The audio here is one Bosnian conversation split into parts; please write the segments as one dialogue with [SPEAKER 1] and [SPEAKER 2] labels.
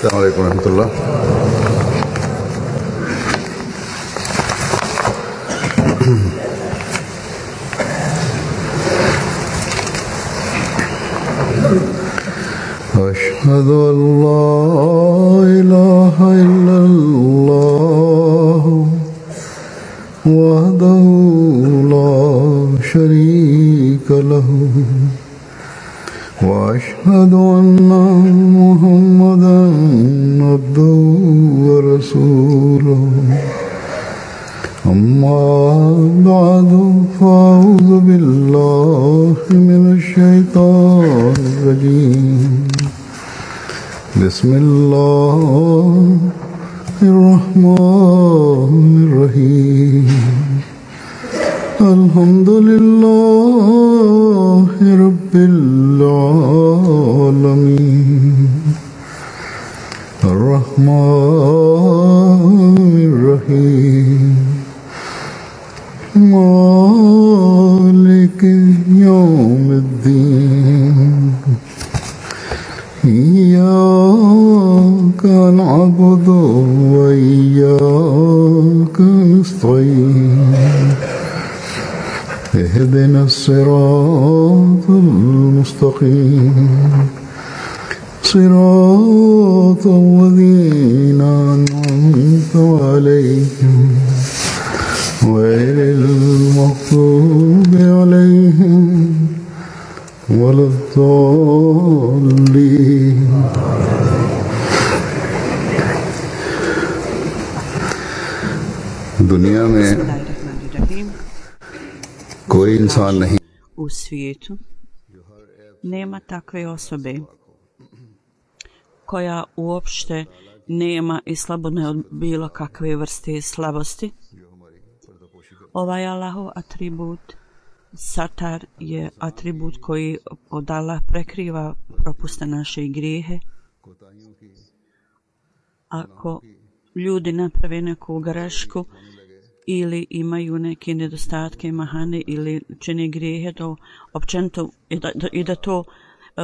[SPEAKER 1] السلام عليكم ورحمة الله. أشهد أن لا إله إلا الله وحده لا شريك له وأشهد أن محمدا عبده ورسوله أما بعد فأعوذ بالله من الشيطان الرجيم بسم الله الرحمن الرحيم الحمد لله رب العالمين الرحمن الرحيم مالك يوم الدين إياك نعبد وإياك نستعين اهدنا الصراط المستقيم صراط الذين أنعمت عليهم غير المغضوب عليهم ولا الضالين. दुनिया में कोई इंसान नहीं
[SPEAKER 2] u svijetu nema takve osobe koja uopšte nema i slabone od bilo kakve vrste slabosti. Ovaj Allahov atribut Satar je atribut koji od Allah prekriva propuste naše grijehe. Ako ljudi naprave neku grešku ili imaju neke nedostatke, mahane ili čine grijehe, to općenito i da to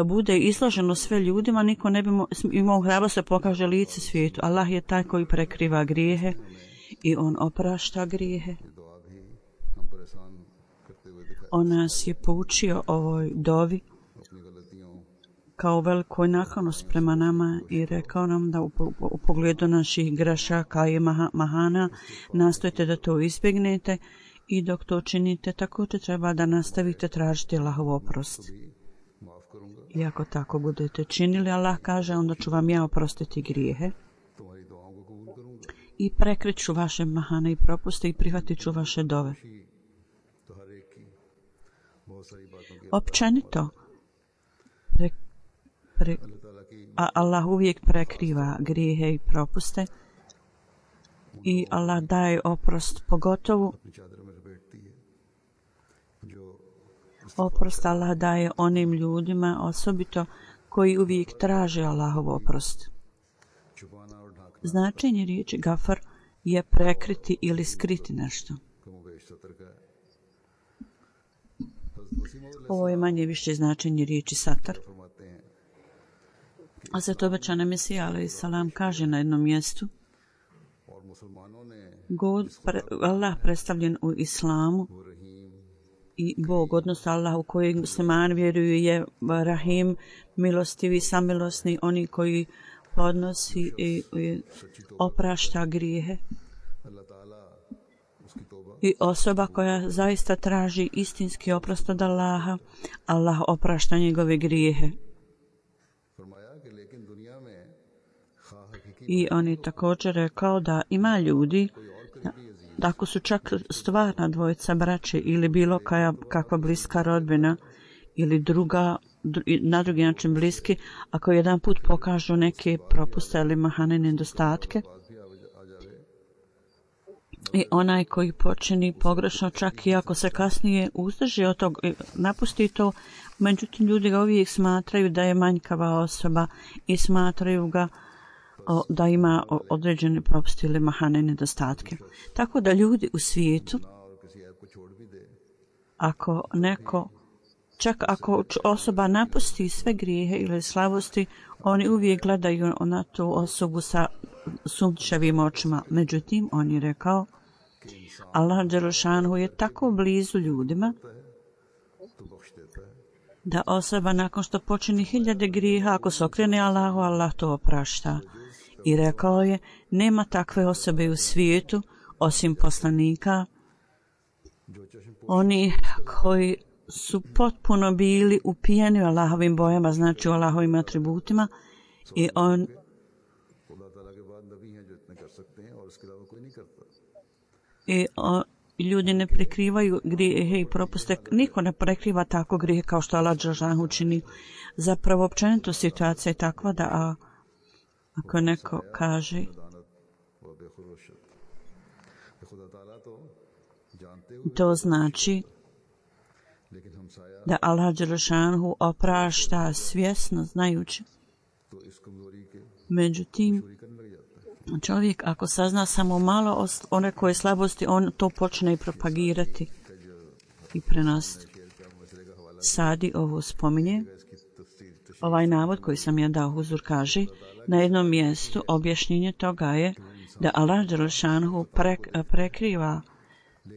[SPEAKER 2] bude izloženo sve ljudima, niko ne bi imao hrabrosti da pokaže lice svijetu. Allah je taj koji prekriva grijehe i on oprašta grijehe. On nas je poučio ovoj dovi kao velikoj naklonost prema nama i rekao nam da u pogledu naših grešaka i mahana nastojite da to izbjegnete i dok to činite također treba da nastavite tražiti Allahov oprost. I ako tako budete činili, Allah kaže, onda ću vam ja oprostiti grijehe i prekriću vaše mahane i propuste i prihvatit ću vaše dove. Općenito, Allah uvijek prekriva grijehe i propuste i Allah daje oprost, pogotovo oprost Allah daje onim ljudima osobito koji uvijek traže Allahov oprost. Značenje riječi gafar je prekriti ili skriti nešto. Ovo je manje više značenje riječi satar. A zato obećana Mesija alejhi salam kaže na jednom mjestu: Allah predstavljen u islamu i Bog, odnosno Allah u kojeg muslimani vjeruju, je Rahim, milostivi, samilosni, oni koji podnosi i oprašta grijehe. I osoba koja zaista traži istinski oprost od Allaha, Allah oprašta njegove grijehe. I on je također rekao da ima ljudi, da ako su čak stvarna dvojica braće ili bilo kakva bliska rodbina ili na drugi način bliski, ako jedan put pokažu neke propuste ili mahane nedostatke, i onaj koji počini pogrešno, čak i ako se kasnije uzdrži od toga, napusti to, međutim ljudi ga uvijek smatraju da je manjkava osoba i smatraju ga da ima određene propuste ili mahane nedostatke. Tako da ljudi u svijetu, ako neko Čak ako osoba napusti sve grijehe ili slabosti, oni uvijek gledaju na tu osobu sa sumnjičavim očima. Međutim, on je rekao, Allah dželešanu je tako blizu ljudima da osoba nakon što počini 1000 grijeha, ako se okrene Allahu, Allah to oprašta. I rekao je, nema takve osobe u svijetu osim poslanika, oni koji su potpuno bili upijeni u Allahovim bojama, znači u Allahovim atributima, ljudi ne prekrivaju grijehe i propuste. Niko ne prekriva tako grijehe kao što Allah dželešanu čini. Zapravo općenito situacija je takva da ako neko kaže to znači da Allah dželešanu oprašta svjesno, znajući. Međutim, čovjek ako sazna samo malo o nekoj slabosti, on to počne i propagirati i prenositi. Sadi ovo spominje. Ovaj navod koji sam ja dao, Huzur kaže, na jednom mjestu objašnjenje toga je da Allah dželešanu prekriva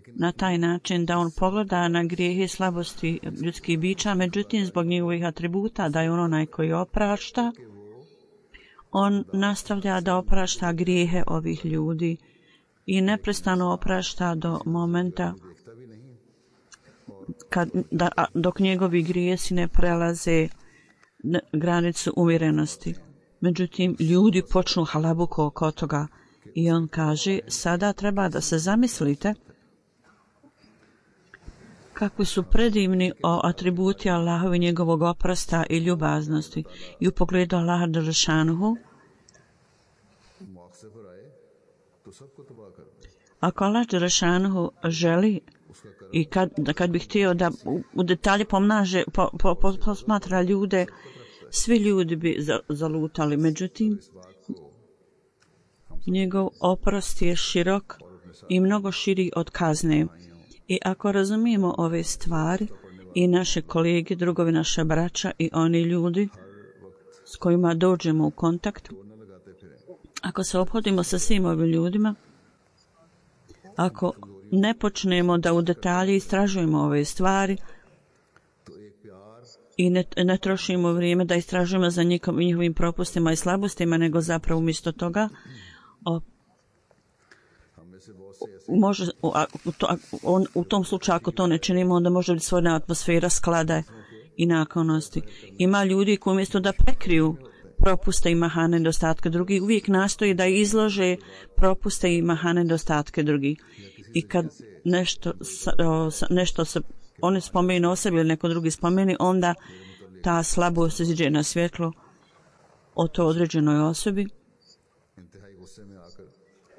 [SPEAKER 2] na taj način da on pogleda na grijehe i slabosti ljudskih bića, međutim zbog njegovih atributa da je on onaj koji oprašta, on nastavlja da oprašta grijehe ovih ljudi i neprestano oprašta do momenta dok njegovi grijesi ne prelaze granicu umjerenosti. Međutim, ljudi počnu halabuku oko toga i on kaže, sada treba da se zamislite kakvi su predivni atributi Allahovi njegovog oprosta i ljubaznosti i u pogledu Allaha dželešanu. Ako Allah dželešanu želi i kad bi htio da u detalje posmatra ljude, svi ljudi bi zalutali. Međutim, njegov oprost je širok i mnogo širi od kazne. I ako razumijemo ove stvari i naše kolege, drugovi, naše braća i oni ljudi s kojima dođemo u kontakt, ako se ophodimo sa svim ovim ljudima, ako ne počnemo da u detalji istražujemo ove stvari i ne trošimo vrijeme da istražujemo za njihovim propustima i slabostima, nego zapravo umjesto toga u tom slučaju ako to ne činimo, onda može biti svojna atmosfera sklada i naklonosti. Ima ljudi koji umjesto da prekriju propuste i mahane nedostatke drugih, uvijek nastoji da izlože propuste i mahane nedostatke drugih. I kad nešto se oni spomenu o sebi ili neko drugi spomeni, onda ta slabost izađe na svjetlo o to određenoj osobi.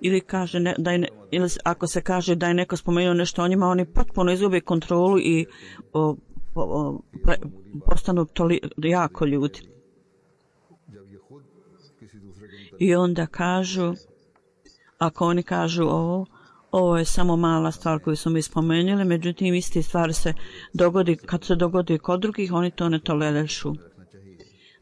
[SPEAKER 2] Ili ako se kaže da je neko spomenuo nešto o njima, oni potpuno izgube kontrolu i postanu jako ljudi. I onda kažu, ako oni kažu ovo je samo mala stvar koju smo mi spomenuli, međutim iste stvari se dogodi, kad se dogodi kod drugih, oni to ne tolerišu.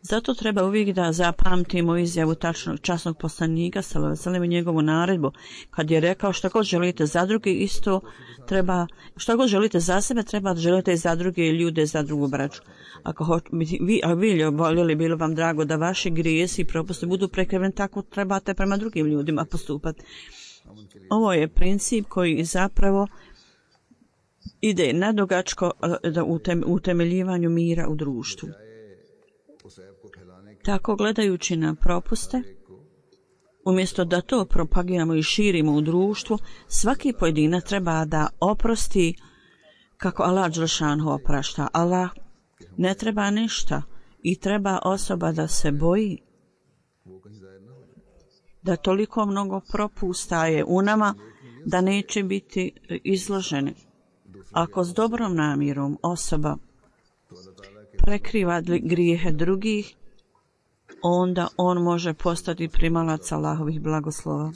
[SPEAKER 2] Zato treba uvijek da zapamtimo izjavu časnog poslanika sallallahu alejhi ve sellem i njegovu naredbu kad je rekao šta god želite za druge, isto treba, šta god želite za sebe, treba da želite i za druge ljude, za drugu braću. Ako vi voljeli, bilo vam drago da vaši grijesi i propusti budu prekriveni, tako trebate prema drugim ljudima postupati. Ovo je princip koji zapravo ide nadugačko u utemeljivanju mira u društvu. Tako gledajući na propuste, umjesto da to propagiramo i širimo u društvu, svaki pojedinac treba da oprosti kako Allah dželešanu oprašta. Allah ne treba ništa i treba osoba da se boji da toliko mnogo propusta je u nama da neće biti izloženi. Ako s dobrom namjerom osoba prekriva grijehe drugih, onda on može postati primalac Allahovih blagoslova.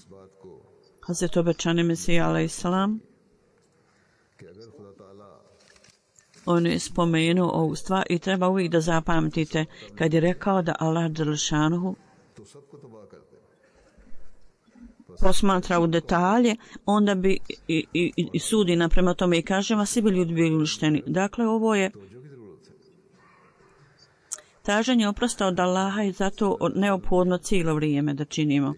[SPEAKER 2] Hazret obećani Mesija alejhiselam On je spomenuo ovu stvar i treba uvijek da zapamtite kad je rekao da Allah dželešanu posmatra u detalje, onda bi i sudi naprema tome i kaže vas svi bi ljudi bili uništeni. Dakle, ovo je traženje oprosta od Allaha i zato neophodno cijelo vrijeme da činimo.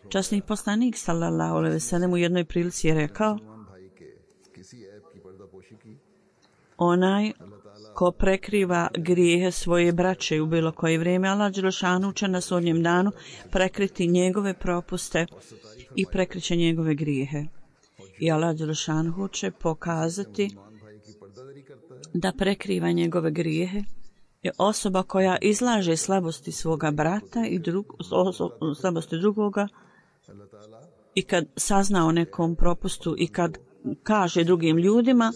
[SPEAKER 2] Časni poslanik sallallahu alejhi ve sellem u jednoj prilici je rekao: onaj ko prekriva grijehe svoje braće u bilo koje vrijeme, Allah dželešanu će na sudnjem danu prekriti njegove propuste i prekriće njegove grijehe. I Allah dželešanu će pokazati da prekriva njegove grijehe je osoba koja izlaže slabosti svoga brata i slabosti drugoga, i kad sazna o nekom propustu i kad kaže drugim ljudima,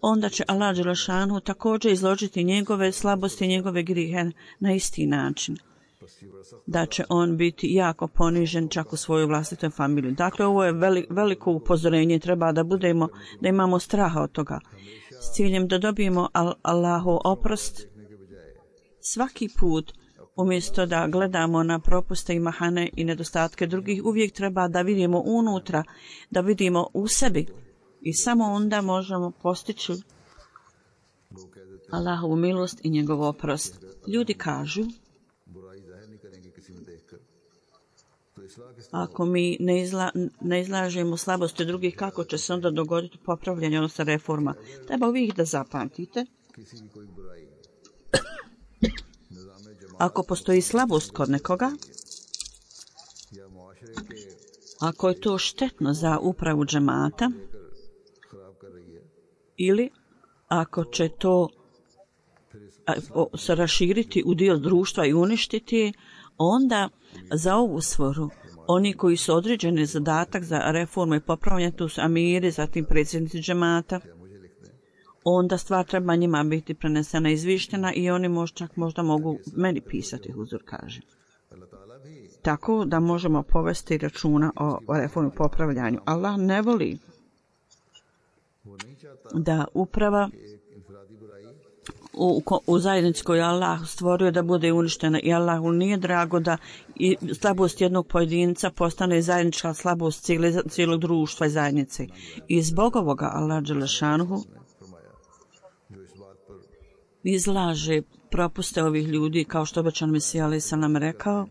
[SPEAKER 2] onda će Allah dželešanu također izložiti njegove slabosti i njegove grijehe na isti način. Da će on biti jako ponižen čak u svojoj vlastitoj familiji. Dakle, ovo je veliko upozorenje, treba da imamo straha od toga. S ciljem da dobijemo Allahu oprost, svaki put, umjesto da gledamo na propuste i mahane i nedostatke drugih, uvijek treba da vidimo unutra, da vidimo u sebi. I samo onda možemo postići Allahovu milost i njegov oprost. Ljudi kažu, ako mi ne izlažemo slabosti drugih, kako će se onda dogoditi popravljanje, odnosno reforma? Treba uvijek da zapamtite. Ako postoji slabost kod nekoga, ako je to štetno za upravu džemata, ili ako će to se raširiti u dio društva i uništiti, onda za ovu svrhu oni koji su određeni zadatak za reformu i popravljanje, tu su amiri, zatim predsjednici džemata, onda stvar treba njima biti prenesena, izvištena i oni možda mogu meni pisati, huzur kaže. Tako da možemo povesti računa o reformu i popravljanju. Allah ne voli da uprava u zajednici koju Allah stvorio da bude uništena, i Allahu nije drago da i slabost jednog pojedinca postane zajednička slabost cijelog društva i zajednice. I zbog ovoga Allah dželešanu izlaže propuste ovih ljudi, kao što obećan Mesija alejhi selam rekao.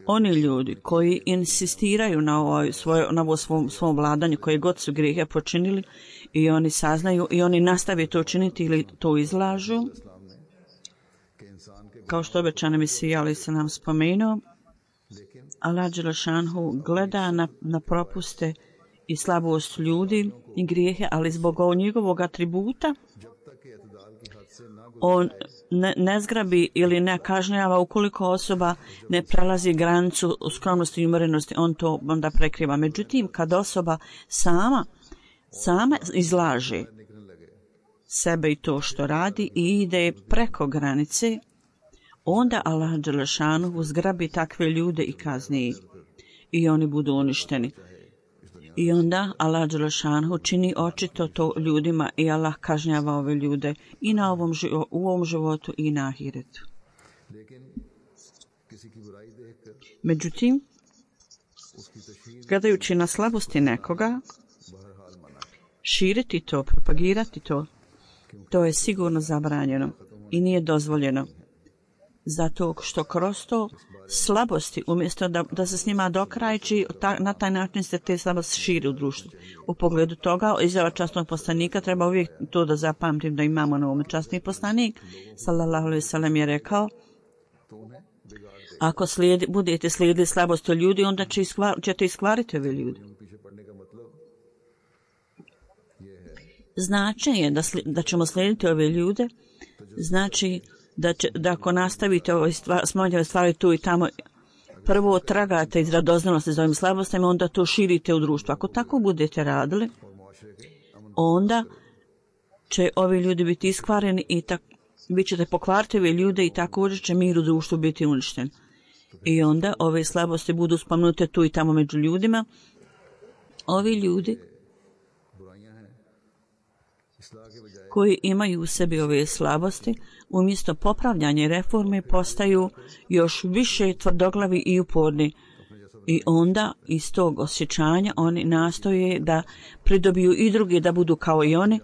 [SPEAKER 2] Oni ljudi koji insistiraju na ovo svom vladanju, koje god su grijehe počinili, i oni saznaju i oni nastave to činiti ili to izlažu, kao što obećan Mesija alejhi selam spomenuo, Allah dželešanu gleda na propuste i slabost ljudi i grijehe, ali zbog njegovog atributa on ne zgrabi ili ne kažnjava ukoliko osoba ne prelazi granicu skromnosti i umerenosti, on to onda prekriva. Međutim, kad osoba sama izlaže sebe i to što radi i ide preko granice, onda Allah dželešanu zgrabi takve ljude i kazni i oni budu uništeni. I onda Allah dželešanu čini očito to ljudima i Allah kažnjava ove ljude i u ovom životu i na ahiretu. Međutim, gledajući na slabosti nekoga, širiti to, propagirati to je sigurno zabranjeno i nije dozvoljeno. Zato što kroz to slabosti, umjesto da se s njima dokrajči, na taj način se te slabosti širi u društvu. U pogledu toga, izjava časnog poslanika, treba uvijek to da zapamtim da imamo na ovom. Časni poslanik, sallallahu alejhi ve sellem, je rekao, ako budete slijedili slabosti ljudi, onda ćete iskvariti ove ljudi. Značenje da ćemo slijediti ove ljude, znači da ako nastavite smanjave stvari tu i tamo, prvo tragate iz radoznalosti za ovim slabostima, onda to širite u društvu. Ako tako budete radili, onda će ovi ljudi biti iskvareni i vi ćete pokvariti ove ljude i također će mir u društvu biti uništen. I onda ove slabosti budu spomenute tu i tamo među ljudima. Ovi ljudi koji imaju u sebi ove slabosti, umjesto popravljanja i reforme postaju još više tvrdoglavi i uporni. I onda iz tog osjećanja oni nastoje da pridobiju i drugi da budu kao i oni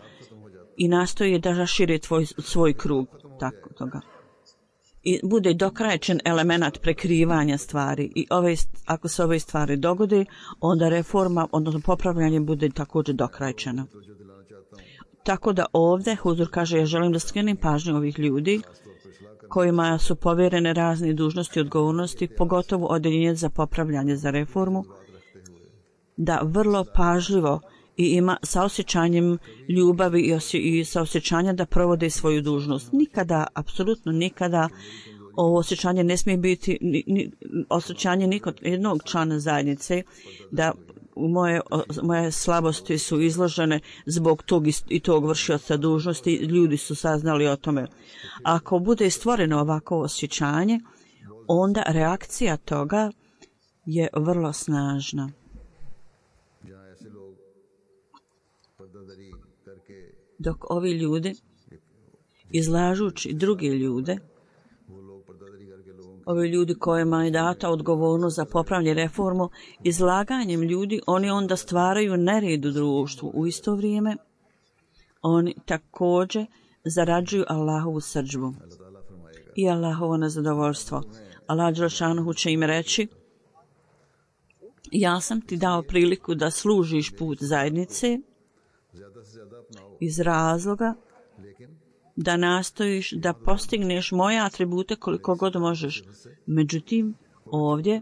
[SPEAKER 2] i nastoje da rašire svoj krug tako toga. I bude dokrajčen element prekrivanja stvari i ako se ove stvari dogode, onda reforma, odnosno popravljanje bude također dokrajčeno. Tako da ovdje Huzur kaže, ja želim da skrenem pažnju ovih ljudi kojima su povjerene razne dužnosti i odgovornosti, pogotovo odeljenje za popravljanje za reformu, da vrlo pažljivo i ima sa osjećanjem ljubavi i sa osjećanjem da provode svoju dužnost. Nikada, apsolutno nikada, ovo osjećanje ne smije biti osjećanje nikod jednog člana zajednice da moje slabosti su izložene zbog tog i tog vršioca dužnosti, ljudi su saznali o tome. Ako bude stvoreno ovako osjećanje, onda reakcija toga je vrlo snažna. Dok ovi ljudi, izlažući druge ljude, ovi ljudi kojima je data odgovornost za popravljanje reformu, izlaganjem ljudi, oni onda stvaraju nered u društvu. U isto vrijeme, oni također zarađuju Allahovu srdžbu i Allahovo nezadovoljstvo. Allah dželešanohu će im reći, ja sam ti dao priliku da služiš put zajednice iz razloga da nastojiš da postigneš moje atribute koliko god možeš. Međutim, ovdje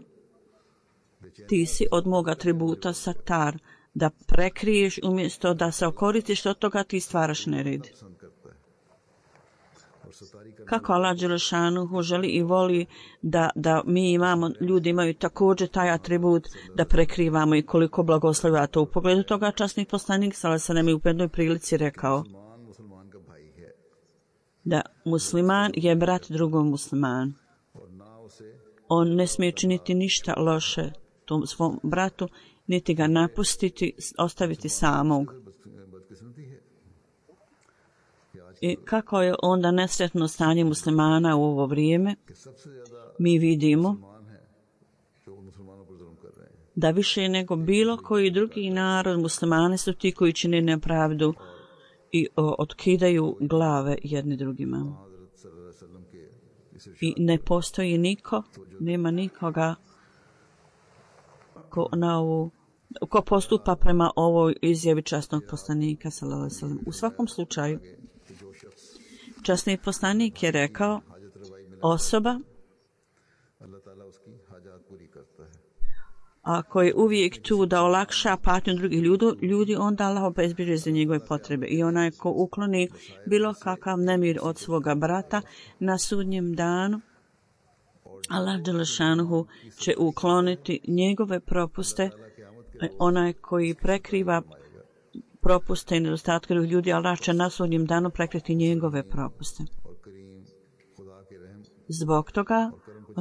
[SPEAKER 2] ti si od mog atributa satar, da prekriješ umjesto da se okoristiš od toga, ti stvaraš nered. Kako Allah dželešanuhu želi i voli da mi imamo, ljudi imaju također taj atribut da prekrivamo i koliko blagoslovlja to. U pogledu toga časni poslanik sallallahu alejhi ve sellem u jednoj prilici rekao da musliman je brat drugom muslimanu. On ne smije činiti ništa loše tom svom bratu, niti ga napustiti, ostaviti samog. I kako je onda nesretno stanje muslimana u ovo vrijeme, mi vidimo da više nego bilo koji drugi narod, muslimani su ti koji čine nepravdu i otkidaju glave jedni drugima. I ne postoji niko, nema nikoga ko postupa prema ovoj izjavi časnog poslanika sallallahu alejhi ve sellem. U svakom slučaju, časni poslanik je rekao, osoba ako je uvijek tu da olakša patnju drugih ljudi, onda Allah obezbjeđuje za njegove potrebe. I onaj ko ukloni bilo kakav nemir od svoga brata na sudnjem danu, Allah dželešanuhu će ukloniti njegove propuste. Onaj koji prekriva propuste i nedostatke drugih ljudi, Allah će na sudnjem danu prekriti njegove propuste. Zbog toga,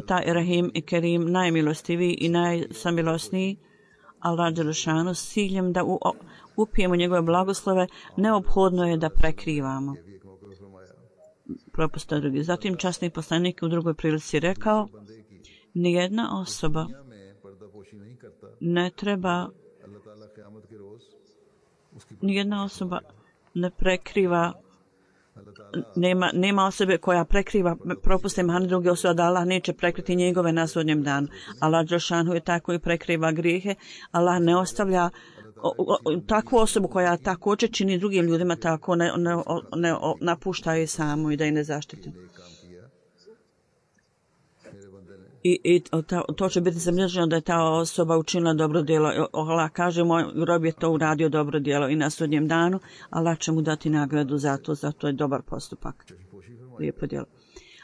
[SPEAKER 2] taj Rahim i Kerim, najmilostiviji i najsamilosniji, Allah dželešanu, s ciljem da upijemo njegove blagoslove, neophodno je da prekrivamo propuste drugih. Zatim časni poslanik u drugoj prilici rekao, nijedna osoba ne treba, nijedna osoba ne prekriva, nema osobe koja prekriva propuste mahane druge osobe, da Allah neće prekriti njegove na sudnjem danu. Allah dželešanu je taj koji prekriva grijehe. Allah ne ostavlja takvu osobu koja također čini drugim ljudima tako, ne napušta je samo i da je ne zaštiti. I to će biti zamlježeno da je ta osoba učinila dobro djelo. Allah kaže, moj rob je to uradio dobro djelo i na sudnjem danu Allah će mu dati nagradu za to je dobar postupak. Lijepo djelo.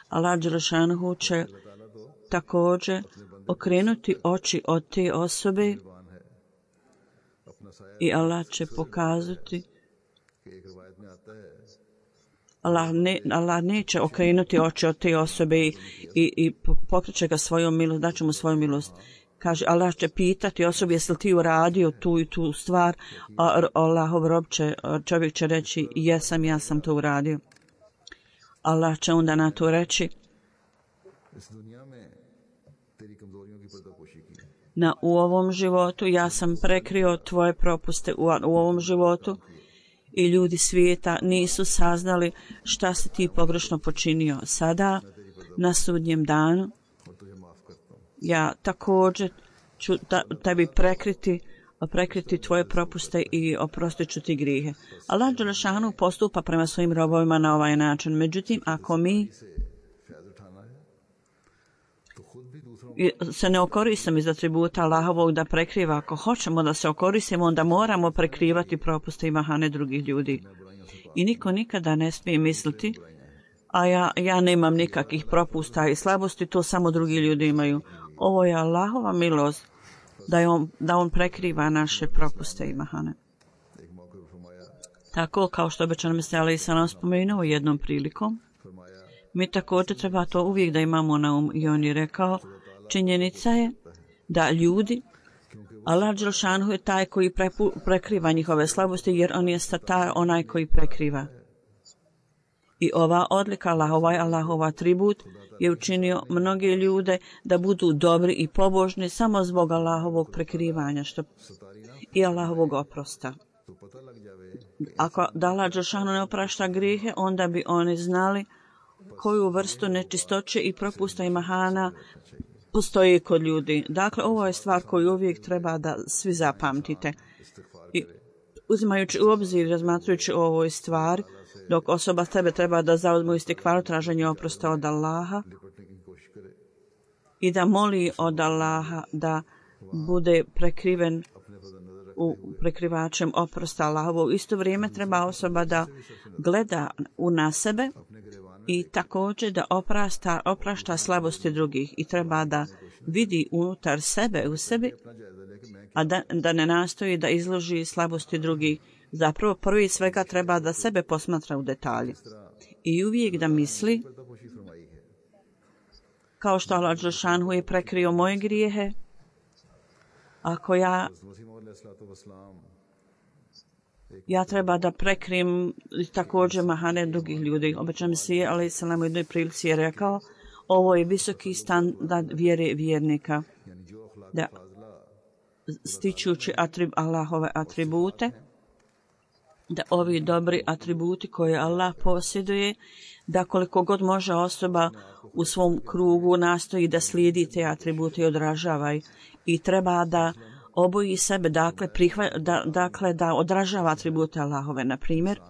[SPEAKER 2] Allah dželešanuhu će također okrenuti oči od te osobe i Allah će pokazati, Allah neće okrenuti oči od te osobe i pokreće ga svojom milost, daće mu svoju milost. kaže, Allah će pitati osobi, jesi li ti uradio tu i tu stvar, a Allahov rob čovjek će reći, jesam, ja sam to uradio. Allah će onda na to reći, u ovom životu ja sam prekrio tvoje propuste u ovom životu i ljudi svijeta nisu saznali šta si ti pogrešno počinio. Sada, na sudnjem danu, ja također ću tebi prekriti tvoje propuste i oprostit ću ti grijehe. Allah dželešanu postupa prema svojim robovima na ovaj način. Međutim, ako mi se ne okoristimo iz atributa Allahovog da prekriva, ako hoćemo da se okoristimo, onda moramo prekrivati propuste i mahane drugih ljudi. I niko nikada ne smije misliti, a ja nemam nikakvih propusta i slabosti, to samo drugi ljudi imaju. Ovo je Allahova milost da on prekriva naše propuste i mahane. Tako kao što obećan Mesija alejhi selam spomenuo jednom prilikom, mi također treba to uvijek da imamo na um. I on je rekao, činjenica je da ljudi, Allah dželešanu je taj koji prekriva njihove slabosti, jer on je satar, onaj koji prekriva. I ova odlika Allahov atribut je učinio mnoge ljude da budu dobri i pobožni samo zbog Allahovog prekrivanja i Allahovog oprosta. Ako Allah dželešanu ne oprašta grijehe, onda bi oni znali koju vrstu nečistoće i propusta i mahana postoji kod ljudi. Dakle, ovo je stvar koju uvijek treba da svi zapamtite. I uzimajući u obzir, razmatrujući o ovoj stvari, dok osoba tebe treba da zauzmu istikvaru traženje oprosta od Allaha i da moli od Allaha da bude prekriven u prekrivačem oprosta Allahovog. Isto vrijeme treba osoba da gleda na sebe i također da oprašta slabosti drugih i treba da vidi unutar sebe u sebi, a da ne nastoji da izloži slabosti drugih. Zapravo prvi svega treba da sebe posmatra u detalji i uvijek da misli, kao što Allah dželešanu je prekrio moje grijehe, ako ja treba da prekrim također mahane drugih ljudi. Obećan Mesija alejhi selam u jednoj prilici je rekao, ovo je visoki standard vjere vjernika, da stičući Allahove atribute, da ovi dobri atributi koje Allah posjeduje, da koliko god može osoba u svom krugu nastoji da slijedi te atribute i odražava i treba da oboji sebe, dakle da odražava atribute Allahove. Na primjer,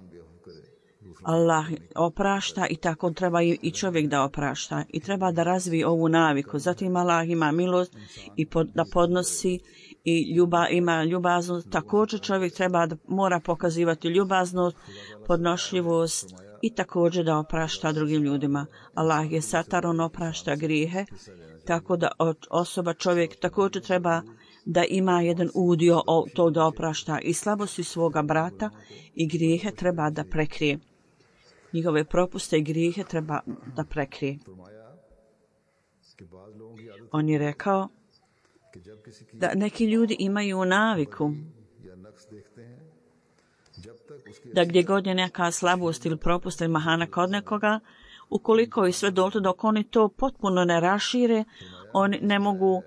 [SPEAKER 2] Allah oprašta i tako treba i čovjek da oprašta i treba da razvije ovu naviku. Zatim Allah ima milost i da podnosi i ima ljubaznost. Također čovjek mora pokazivati ljubaznost, podnošljivost i također da oprašta drugim ljudima. Allah je satar, on oprašta grijehe, tako da osoba, čovjek također treba da ima jedan udio to da oprašta i slabosti svoga brata i grijehe treba da prekrije. Njihove propuste i grijehe treba da prekrije. On je rekao da neki ljudi imaju naviku da gdje god je neka slabost ili propust ili mahana kod nekoga, ukoliko i sve dotle dok oni to potpuno ne rašire, oni ne mogu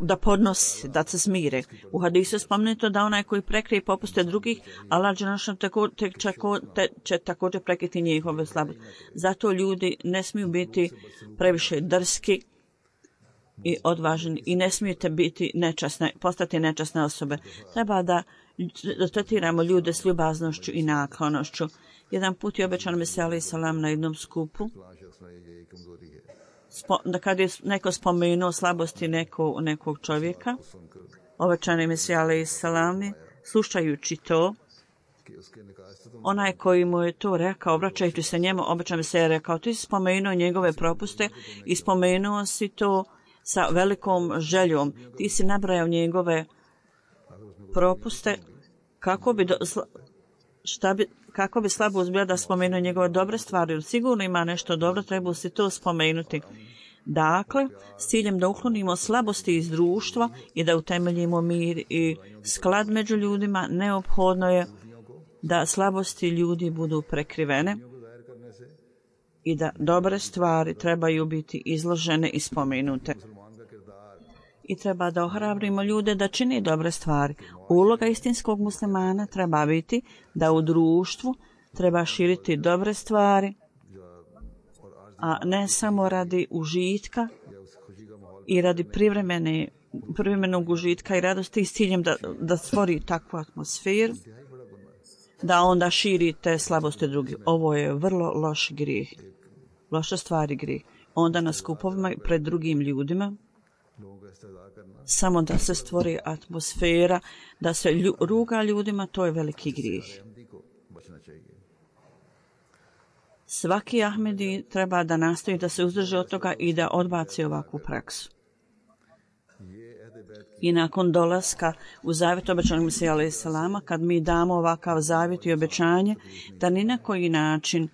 [SPEAKER 2] da podnosi, da se smire. U hadisu je spomenuto da onaj koji prekrije popuste drugih, Allah će također prekriti njihove slabosti. Zato ljudi ne smiju biti previše drski i odvažni i ne smijete postati nečasne osobe. Treba da tretiramo ljude s ljubaznošću i naklonošću. Jedan put je obećan Mesija alejhi selam na jednom skupu, kad je neko spomenuo slabosti nekog čovjeka, obećani Mesija alejhi selam, slušajući to, onaj koji mu je to rekao, obraćajući se njemu, obećan Mesija je rekao, ti si spomenuo njegove propuste i spomenuo si to sa velikom željom. Ti si nabrajao njegove propuste, kako bi slabost bila da spomenuo njegove dobre stvari. Sigurno ima nešto dobro, treba si to spomenuti. Dakle, s ciljem da uklonimo slabosti iz društva i da utemeljimo mir i sklad među ljudima, neophodno je da slabosti ljudi budu prekrivene i da dobre stvari trebaju biti izložene i spomenute. I treba da ohrabrimo ljude da čini dobre stvari. Uloga istinskog muslimana treba biti da u društvu treba širiti dobre stvari, a ne samo radi užitka i radi privremenog užitka i radosti s ciljem da stvori takvu atmosferu, da onda širi te slabosti drugih. Ovo je vrlo loš grijeh, loša stvar i grijeh. Onda na skupovima pred drugim ljudima, samo da se stvori atmosfera, da se ruga ljudima, to je veliki grijeh. Svaki Ahmedi treba da nastoji da se uzdrži od toga i da odbaci ovakvu praksu. I nakon dolaska u zavjet obećanog Mesija alejhi selama, kad mi damo ovakav zavjet i obećanje da ni na koji način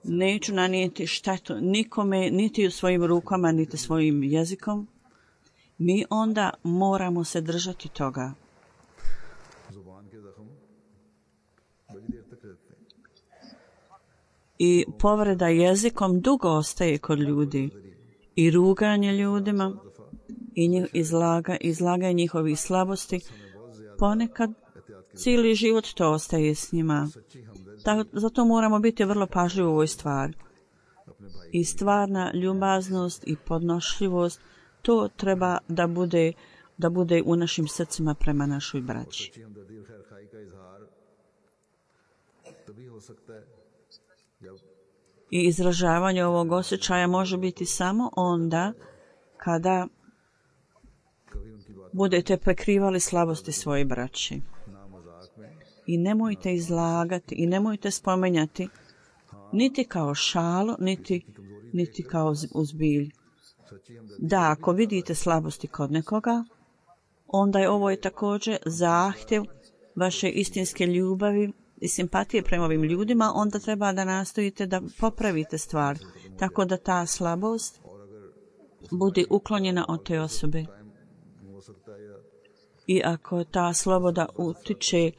[SPEAKER 2] neću nanijeti štetu nikome, niti u svojim rukama, niti svojim jezikom, mi onda moramo se držati toga. I povreda jezikom dugo ostaje kod ljudi. I ruganje ljudima i izlaganje njihovih slabosti, ponekad cijeli život to ostaje s njima. Zato moramo biti vrlo pažljivi u ovoj stvari. I stvarna ljubaznost i podnošljivost, to treba da bude u našim srcima prema našoj braći. I izražavanje ovog osjećaja može biti samo onda kada budete prekrivali slabosti svoje braći. I nemojte izlagati i nemojte spomenjati niti kao šalu, niti kao uzbilj. Da, ako vidite slabosti kod nekoga, onda je ovo također zahtjev vaše istinske ljubavi i simpatije prema ovim ljudima, onda treba da nastojite da popravite stvar, tako da ta slabost bude uklonjena od te osobe. I ako ta sloboda utiče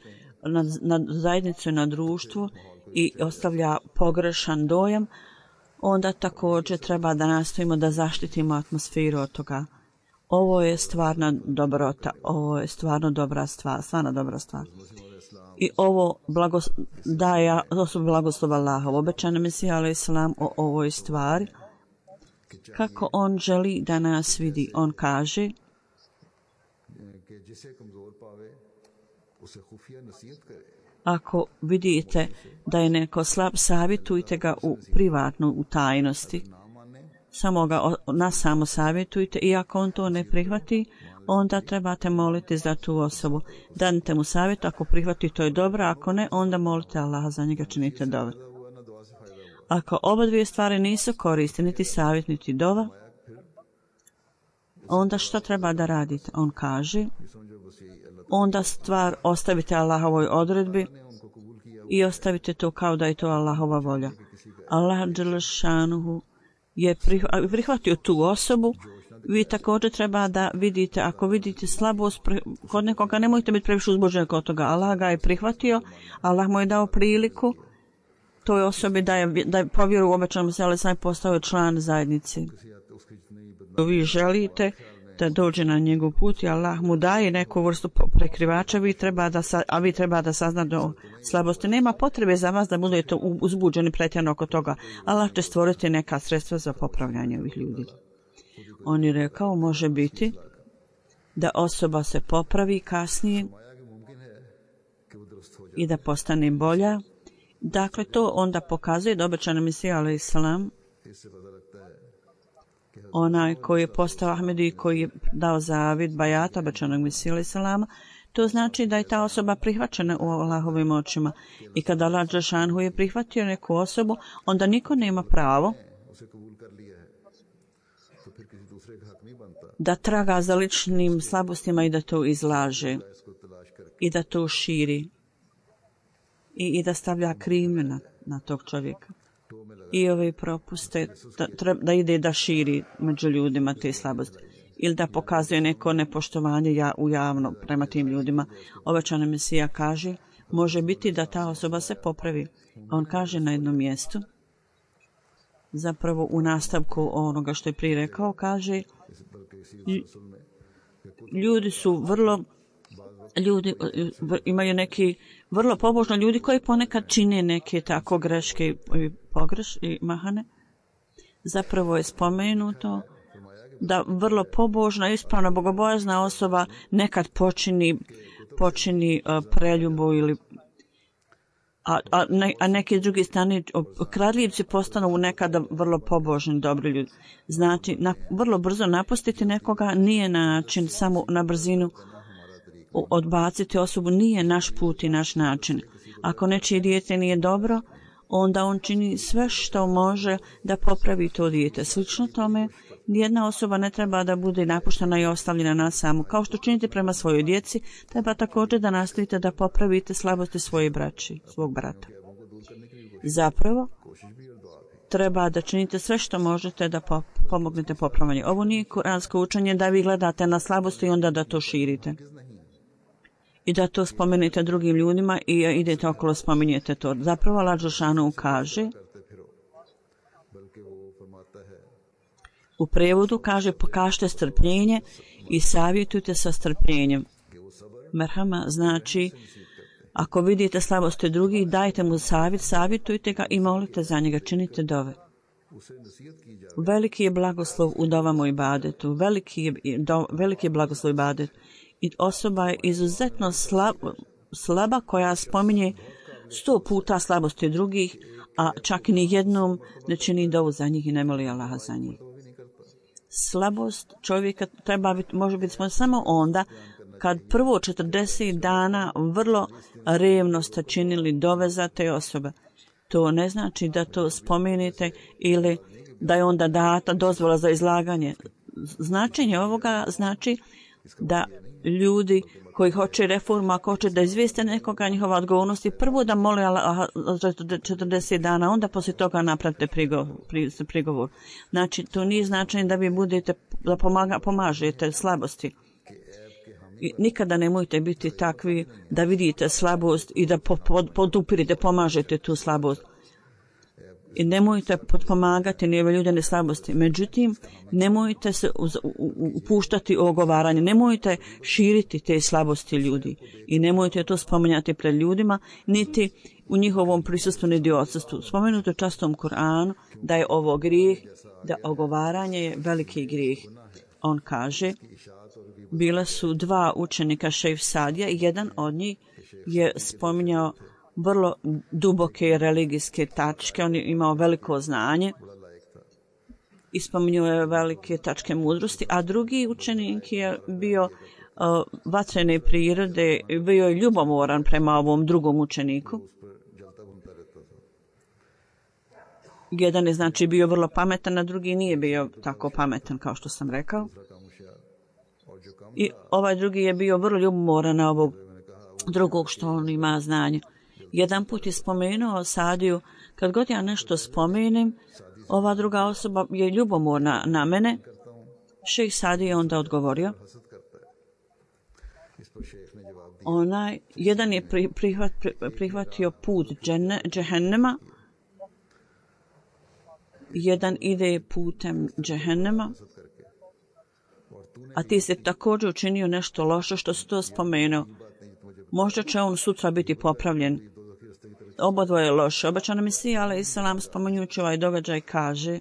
[SPEAKER 2] na zajednicu i na društvo i ostavlja pogrešan dojam, onda također treba da nastojimo da zaštitimo atmosferu od toga. Ovo je stvarna dobrota, ovo je stvarno dobra stvar, stvarno dobra stvar. I ovo daje osobu blagoslova Allaha. Obećan Mesija alejhi selam o ovoj stvari. Kako on želi da nas vidi, on kaže: ako vidite da je neko slab, savjetujte ga privatno, u tajnosti. Samo ga nasamo savjetujte i ako on to ne prihvati, onda trebate moliti za tu osobu. Danite mu savjet, ako prihvati to je dobro, ako ne, onda molite Allaha za njega, činite dove. Ako oba dvije stvari nisu koriste, niti savjet, niti dova, onda šta treba da radite? On kaže, onda stvar ostavite Allahovoj odredbi i ostavite to kao da je to Allahova volja. Allah dželle šanuhu je prihvatio tu osobu. Vi također treba da vidite, ako vidite slabost kod nekoga, nemojte biti previše uzbuđeni kod toga. Allah ga je prihvatio, Allah mu je dao priliku toj osobi da je povjeru u obećanom Mesiju alejhi selam, postao član zajednice. Vi želite da dođe na njegov put i Allah mu daje neku vrstu prekrivača, vi treba da saznate o slabosti. Nema potrebe za vas da budete uzbuđeni pretjerano oko toga. Allah će stvoriti neka sredstva za popravljanje ovih ljudi. On je rekao, može biti da osoba se popravi kasnije i da postane bolja. Dakle, to onda pokazuje da obećani Mesija alejhi selam, onaj koji je postao Ahmedi i koji je dao zavjet bajata obećanog Mesija alejhi selama, to znači da je ta osoba prihvaćena u Allahovim očima. I kada Allah dželle šanuhu je prihvatio neku osobu, onda niko nema pravo da traga za ličnim slabostima i da to izlaže i da to širi i da stavlja krivnju na tog čovjeka. i ove propuste da ide da širi među ljudima te slabosti ili da pokazuje neko nepoštovanje u javno prema tim ljudima. Obećani Mesija kaže, može biti da ta osoba se popravi. On kaže na jednom mjestu, zapravo u nastavku onoga što je prije rekao, kaže, ljudi imaju neki vrlo pobožni ljudi koji ponekad čine neke tako greške i mahane. Zapravo je spomenuto da vrlo pobožna, ispravna, bogobojazna osoba nekad počini preljubu ili a neki drugi strani kradljivci postanu nekada vrlo pobožni, dobri ljudi. Znači, vrlo brzo napustiti nekoga nije način, samo na brzinu odbaciti osobu nije naš put i naš način. Ako nečije dijete nije dobro, onda on čini sve što može da popravi to dijete. Slično tome, nijedna osoba ne treba da bude napuštena i ostavljena na samu. Kao što činite prema svojoj djeci, treba također da nastavite da popravite slabosti svoje braći, svog brata. Zapravo, treba da činite sve što možete da pomognete popravljanje. Ovo nije kuransko učenje da vi gledate na slabosti i onda da to širite. I da to spomenete drugim ljudima i idete okolo spominjete to. Zapravo Allah Đelešanu kaže, u prevodu kaže, pokažite strpljenje i savjetujte sa strpljenjem. Merhama znači, ako vidite slabosti drugih, dajte mu savjet, savjetujte ga i molite za njega, činite dove. Veliki je blagoslov u dovama i ibadetu, veliki je blagoslov u ibadetu. I osoba je izuzetno slaba koja spominje 100 puta slabosti drugih, a čak ni jednom ne čini dovu za njih i ne moli Allaha za njih. Slabost čovjeka može biti samo onda kad prvo 40 dana vrlo revno ste činili dove za te osobe. To ne znači da to spomenete ili da je onda data dozvola za izlaganje. Značenje ovoga znači da ljudi koji hoće reformu, ako hoće da izvijeste nekoga njihova odgovornosti, prvo da mole za 40 dana, onda poslije toga napravite prigovor. Znači, to nije značenje da vi budete, da pomažete slabosti. I nikada nemojte biti takvi da vidite slabost i da podupirite, pomažete tu slabost. I nemojte potpomagati nijeve ljudene slabosti. Međutim, nemojte se upuštati u ogovaranje. Nemojte širiti te slabosti ljudi. I nemojte to spominjati pred ljudima, niti u njihovom prisustvu, niti odsustvu. Spomenuto častom Kur'anu da je ovo grijeh, da ogovaranje je veliki grijeh. On kaže, bila su dva učenika Šejh Sadija i jedan od njih je spominjao vrlo duboke religijske tačke, on je imao veliko znanje i spominjao je velike tačke mudrosti, a drugi učenik je bio vatrene prirode, bio je ljubomoran prema ovom drugom učeniku. Jedan je znači bio vrlo pametan, a drugi nije bio tako pametan kao što sam rekao. I ovaj drugi je bio vrlo ljubomoran na ovog drugog što on ima znanje. Jedan put je spomenuo Sadiju, kad god ja nešto spomenem, ova druga osoba je ljubomorna na mene. Šejh Sadi je onda odgovorio. Jedan je prihvatio put džehennema, jedan ide putem džehennema, a ti se također učinio nešto loše što si to spomenuo. Možda će on sutra biti popravljen. Obodvoje je loše. Obećana Mesija alejselam spominjući ovaj događaj kaže,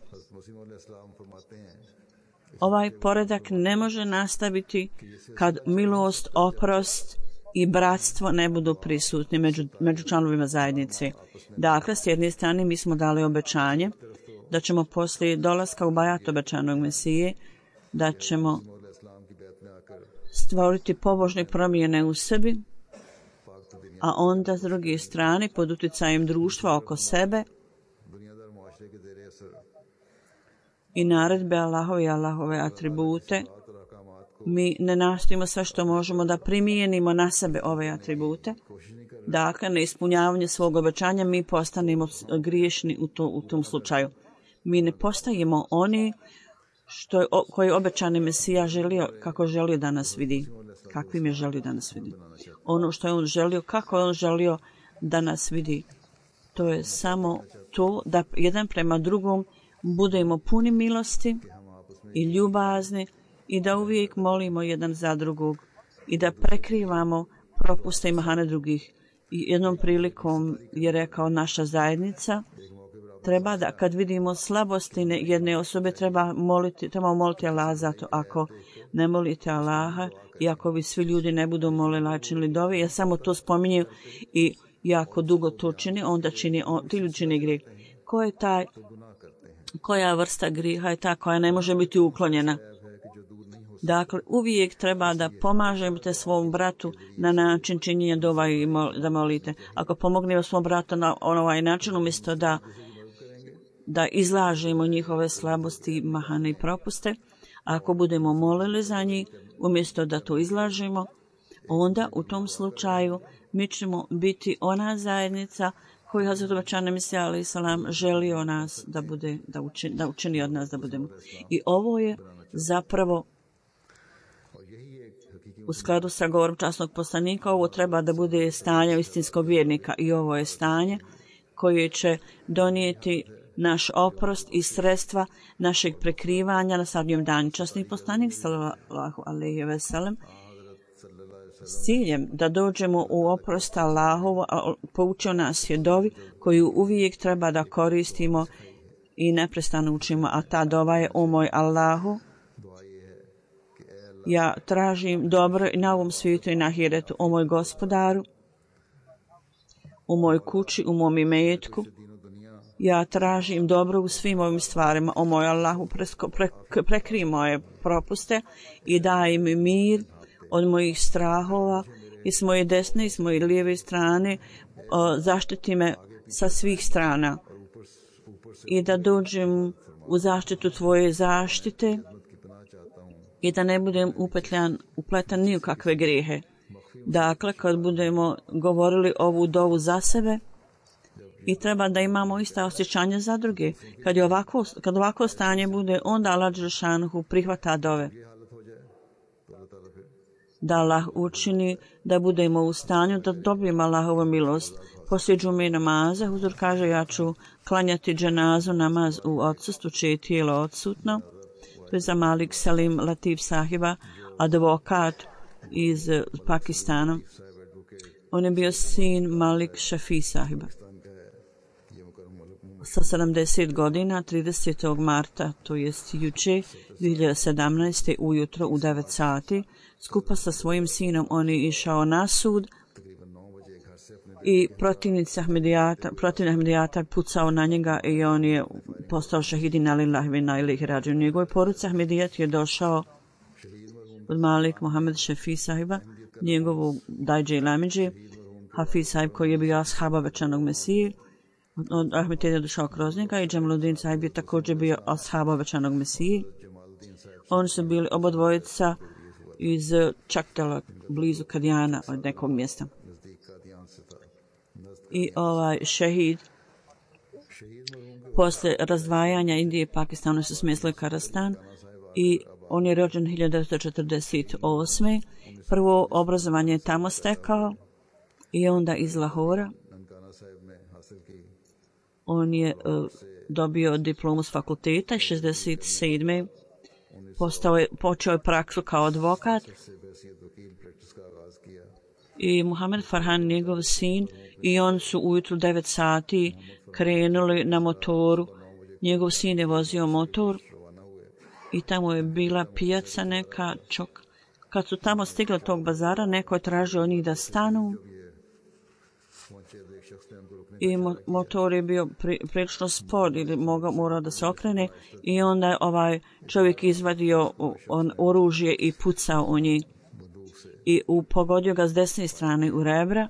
[SPEAKER 2] ovaj poredak ne može nastaviti kad milost, oprost i bratstvo ne budu prisutni među članovima zajednice. Dakle, s jedne strane mi smo dali obećanje da ćemo poslije dolaska u bajat obećanog Mesije, da ćemo stvoriti pobožne promjene u sebi, a onda s druge strane pod utjecajem društva oko sebe i naredbe Allahove i Allahove atribute, mi ne nastojimo sve što možemo da primijenimo na sebe ove atribute, Dakle, na ispunjavanje svog obećanja mi postanemo griješni u tom slučaju. Mi ne postajemo oni koji obećani Mesija želio, kako želio da nas vidi. Kakvim je želio da nas vidi. Ono što je on želio, kako je on želio da nas vidi. To je samo to da jedan prema drugom budemo puni milosti i ljubazni i da uvijek molimo jedan za drugog i da prekrivamo propuste i mahane drugih. I jednom prilikom je rekao naša zajednica treba da kad vidimo slabosti jedne osobe treba moliti Allaha za to. Ako ne molite Allaha i ako vi svi ljudi ne budu molili činili dove, ja samo to spominjem i jako dugo to čini, onda ti ljudi čini grijeh. Koja vrsta grijeha je ta koja ne može biti uklonjena? Dakle, uvijek treba da pomažete svom bratu na način činjenja dova i da molite. Ako pomognemo svom bratu na ovaj način, umjesto da izlažemo njihove slabosti, mahane i propuste, ako budemo molili za njih, umjesto da to izlažemo, onda u tom slučaju mi ćemo biti ona zajednica koju Hazrat Obećani Mesija alejhi selam želio nas da učini od nas da budemo. I ovo je zapravo u skladu sa govorom časnog poslanika, ovo treba da bude stanje istinskog vjernika i ovo je stanje koje će donijeti naš oprost i sredstva našeg prekrivanja na sadnjem danu. Časni poslanik sallallahu alejhi ve sellem s ciljem da dođemo u oprost Allahovu, poučio nas je dovi koju uvijek treba da koristimo i neprestano učimo, a ta dova je: o moj Allahu, ja tražim dobro i na ovom svijetu i na ahiretu. O moj Gospodaru, u mojoj kući, u mom imetku, ja tražim dobro u svim ovim stvarima. O moj Allahu, prekrij moje propuste i daj mi mir od mojih strahova i s moje desne i s moje lijeve strane, zaštiti me sa svih strana i da dođem u zaštitu tvoje zaštite i da ne budem upletan ni u kakve grijehe. Dakle, kad budemo govorili ovu dovu za sebe, i treba da imamo ista osjećanja za druge. Kad ovako stanje bude, onda Allah dželešanohu prihvata dove. Da Allah učini da budemo u stanju da dobijemo Allahovu milost. Poslije džume namaza, huzur kaže: ja ću klanjati dženazu namaz u odsustvu čije je tijelo odsutno. To je za Malik Salim Latif sahiba, advokat iz Pakistana. On je bio sin Malik Shafi sahiba. Sa 70 godina, 30. marta, to jest juče, 2017. ujutro u 9 sati, skupa sa svojim sinom on je išao na sud i protivnik Ahmedijata pucao na njega i on je postao šahidin alillahi ve inna ilaihi rađiun. U njegovoj poruci Ahmedijat je došao od Malik Mohamed Šefi sahiba, njegovog dajđe i lamidže, Hafiz sahib koji je bio ashab obećanog Mesije. Ahmed je došao kroz njega i Džemaluddin sahib je također bio ashab obećanog Mesije. Oni su bili obodvojica iz Čaktela, blizu Kadijana, od nekog mjesta. I ovaj šehid posle razdvajanja Indije i Pakistana su smjestili Karastan i on je rođen 1948. Prvo obrazovanje je tamo stekao i onda iz Lahora on je dobio diplomu s fakulteta i 67. počeo je praksu kao advokat i Muhammed Farhan, njegov sin, i on su ujutru 9 sati krenuli na motoru. Njegov sin je vozio motor i tamo je bila pijaca neka čok. Kad su tamo stigli tog bazara, neko je tražio od njih da stanu i motor je bio prilično spor ili morao da se okrene i onda je ovaj čovjek izvadio oružje i pucao u njih i pogodio ga s desne strane u rebra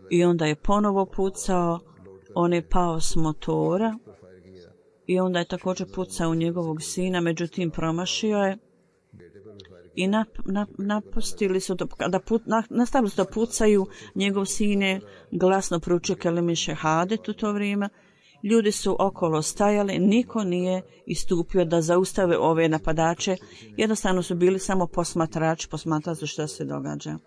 [SPEAKER 2] i onda je ponovo pucao. On je pao s motora i onda je također pucao u njegovog sina, međutim promašio je i napustili su nastavili su da pucaju. Njegov sin je glasno proučio kelime šehadet u to vrijeme. Ljudi su okolo stajali, niko nije istupio da zaustave ove napadače. Jednostavno su bili samo posmatrači, posmatrali su šta se događa.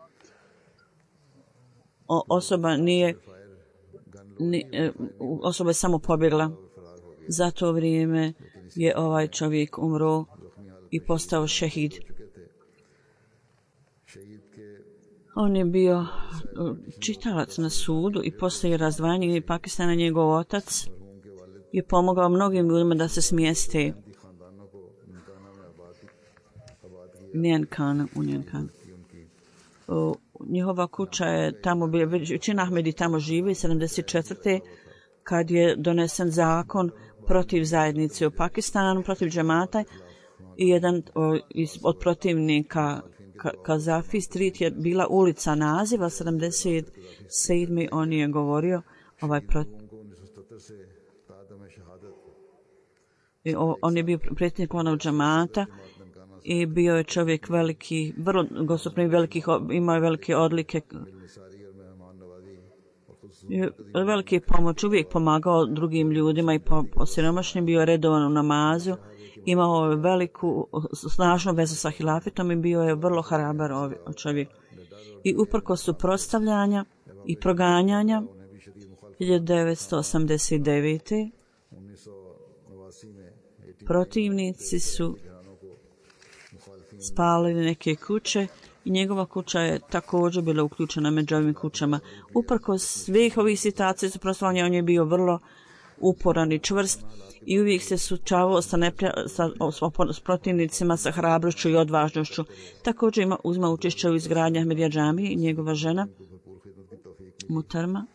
[SPEAKER 2] Osoba je samo pobjegla. Za to vrijeme je ovaj čovjek umro i postao šehid. On je bio čitalac na sudu i poslije razdvajanja Pakistana njegov otac je pomogao mnogim ljudima da se smjeste u Njenkan. Njihova kuća je tamo bila, većina Ahmedi tamo živi, 74. kad je donesen zakon protiv zajednice u Pakistanu, protiv džemata, i jedan od protivnika Kazafi Street je bila ulica naziva 77. On je govorio on je bio predsjednik onog džemata i bio je čovjek veliki, vrlo gostoprim, imao je velike odlike, velike pomoć, uvijek pomagao drugim ljudima i siromašnim, bio redovan u namazu, imao je veliku, snažnu vezu sa hilafetom i bio je vrlo hrabar čovjek. I uprkos suprotstavljanja i proganjanja 1989. protivnici su spalili neke kuće i njegova kuća je također bila uključena među ovim kućama. Uprkos svih ovih situacija suprotstavljanja, on je bio vrlo uporan i čvrst i uvijek se suočavao s protivnicima sa hrabrošću i odvažnošću. Također uzma učešće u izgradnji Ahmedija džamije i njegova žena Mutarma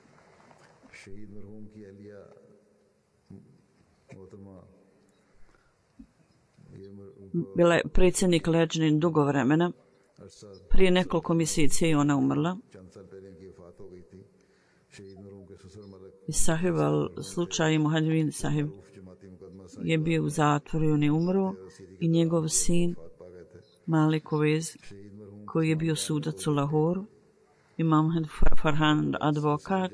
[SPEAKER 2] bila je predsjednik Leđnin dugo vremena. Prije nekoliko mjeseci je ona umrla. I sahib slučaj Muhadvin sahib je bio u zatvoru i on je umro i njegov sin Malik Ovez koji je bio sudac u Lahoru i Mohamed Farhan advokat.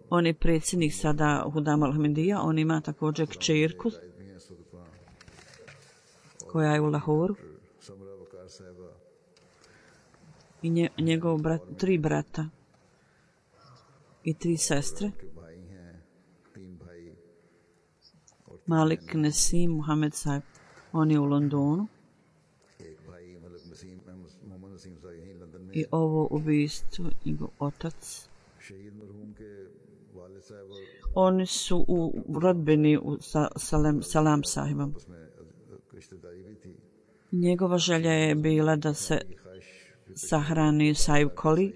[SPEAKER 2] On je predsjednik sada Hudam al-Ahmedija. On ima također kćerku koja je u Lahoru i njegov brat, 3 brata i 3 sestre. Malik Nasim Muhammad Sahib, on je u Londonu. I ovo ubijstvo, njegov otac. Oni su u rodbini sa Salam Sahibom. Njegova želja je bila da se sahrani Sahib Koli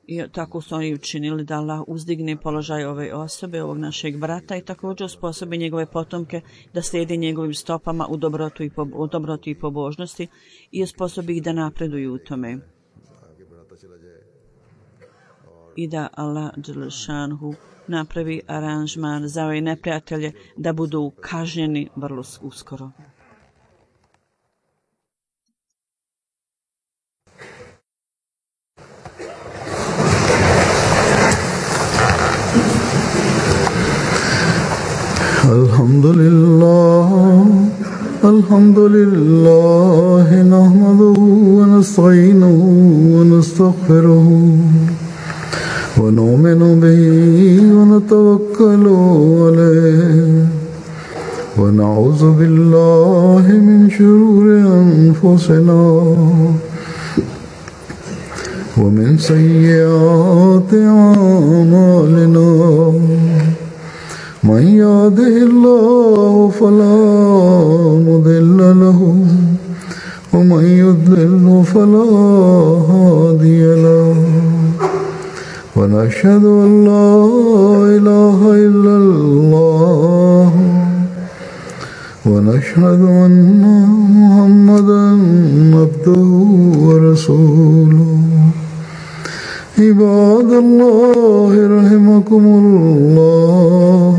[SPEAKER 2] i tako su oni učinili da Allah uzdigne položaj ove osobe, ovog našeg brata i također osposobi njegove potomke da slijedi njegovim stopama u dobroti i pobožnosti i osposobi ih da napreduju u tome. I da Allah dželšanhu napravi aranžman za ove neprijatelje da budu kažnjeni vrlo uskoro.
[SPEAKER 1] Alhamdulillah nahmaduhu wa nasta'inuhu wa nastaghfiruhu wa nu'minu bihi wa natawakkalu alayhi wa na'udhu billahi min shururi anfusina wa min sayyiati a'malina. من يهده الله فلا مضل له ومن يضلل فلا هادي له ونشهد أن لا إله إلا الله ونشهد أن محمدا عبده ورسوله. عباد الله رحمكم الله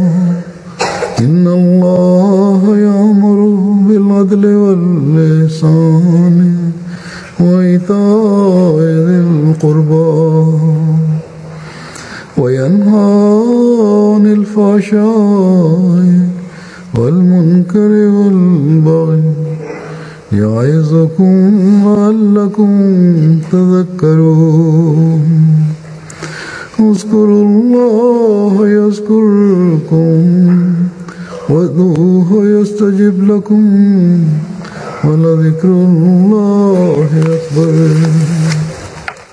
[SPEAKER 1] إن الله يأمر بالعدل والإحسان وإيتاء ذي القربى وينهى عن الفحشاء والمنكر والبغي يعظكم لعلكم تذكرون اذكروا الله يذكركم وادعوه يستجب لكم ولذكر الله أكبر